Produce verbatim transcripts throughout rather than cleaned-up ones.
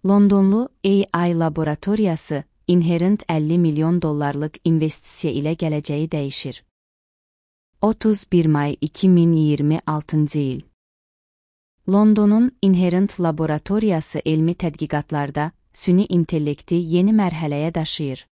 Londonlu A I laboratoriyası Inherent əlli milyon dollarlıq investisiya ilə gələcəyi dəyişir. otuz bir may iki min iyirmi altıncı il. Londonun Inherent laboratoriyası elmi tədqiqatlarda süni intellekti yeni mərhələyə daşıyır.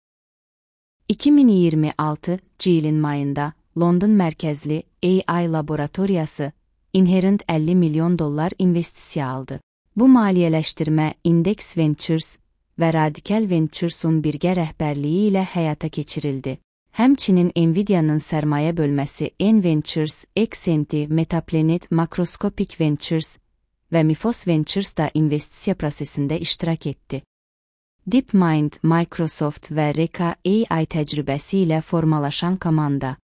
iki min iyirmi altıncı ilin mayında London mərkəzli A I laboratoriyası Inherent əlli milyon dollar investisiya aldı. Bu maliyyələşdirmə Index Ventures və Radical Ventures'un birgə rəhbərliyi ilə həyata keçirildi. Həmçinin Nvidia'nın sərmayə bölməsi N Ventures, Exenti, Metaplanet, Macroscopic Ventures və Mifos Ventures da investisiya prosesində iştirak etdi. DeepMind, Microsoft və Reka A I təcrübəsi ilə formalaşan komanda.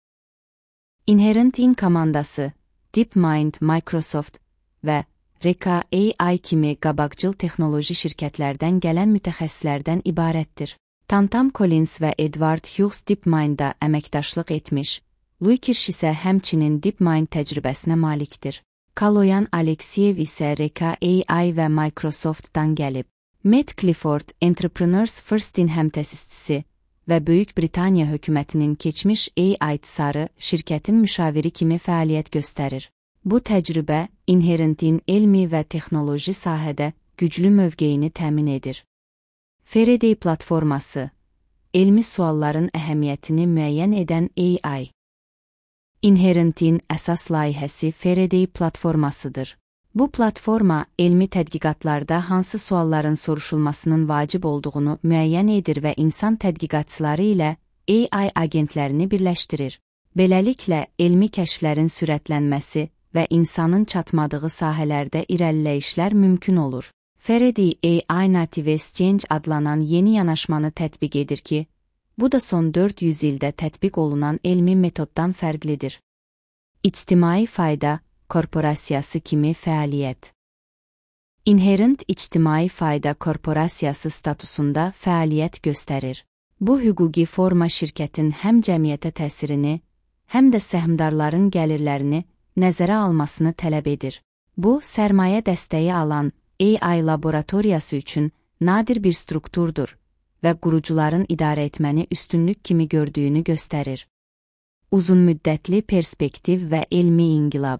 Inherent In komandası, DeepMind, Microsoft və Reka A I kimi qabaqcıl texnoloji şirkətlərdən gələn mütəxəssislərdən ibarətdir. Tantam Collins və Edward Hughes DeepMind'da əməkdaşlıq etmiş, Louis Kirsch isə həmçinin DeepMind təcrübəsinə malikdir. Kaloyan Alekseyev isə Reka A I və Microsoft'dan gəlib. Matt Clifford, Entrepreneurs First'in həmtəsisçisi və Böyük Britaniya hökumətinin keçmiş A I tsarı şirkətin müşaviri kimi fəaliyyət göstərir. Bu təcrübə Inherent'in elmi və texnoloji sahədə güclü mövqeyini təmin edir. Faraday platforması, elmi sualların əhəmiyyətini müəyyən edən A I. Inherent'in əsas layihəsi Faraday platformasıdır. Bu platforma elmi tədqiqatlarda hansı sualların soruşulmasının vacib olduğunu müəyyən edir və insan tədqiqatçıları ilə A I agentlərini birləşdirir. Beləliklə, elmi kəşflərin sürətlənməsi və insanın çatmadığı sahələrdə irəliləyişlər mümkün olur. Faraday A I Native Exchange adlanan yeni yanaşmanı tətbiq edir ki, bu da son dörd yüz ildə tətbiq olunan elmi metoddan fərqlidir. İctimai fayda korporasiyası kimi fəaliyyət. Inherent ictimai fayda korporasiyası statusunda fəaliyyət göstərir. Bu hüquqi forma şirkətin həm cəmiyyətə təsirini, həm də səhmdarların gəlirlərini nəzərə almasını tələb edir. Bu, sərmayə dəstəyi alan A I laboratoriyası üçün nadir bir strukturdur və qurucuların idarə etməni üstünlük kimi gördüyünü göstərir. Uzunmüddətli perspektiv və elmi inqilab.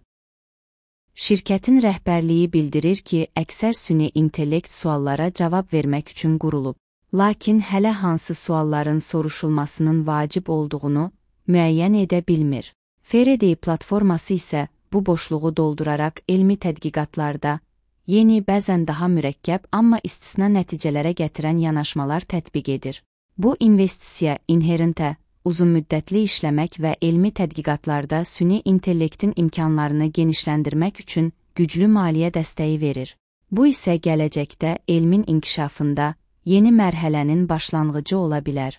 Şirkətin rəhbərliyi bildirir ki, əksər süni intellekt suallara cavab vermək üçün qurulub. Lakin hələ hansı sualların soruşulmasının vacib olduğunu müəyyən edə bilmir. Faraday platforması isə bu boşluğu dolduraraq elmi tədqiqatlarda yeni, bəzən daha mürəkkəb, amma istisna nəticələrə gətirən yanaşmalar tətbiq edir. Bu investisiya Inherent'ə uzunmüddətli işləmək və elmi tədqiqatlarda süni intellektin imkanlarını genişləndirmək üçün güclü maliyyə dəstəyi verir. Bu isə gələcəkdə elmin inkişafında yeni mərhələnin başlanğıcı ola bilər.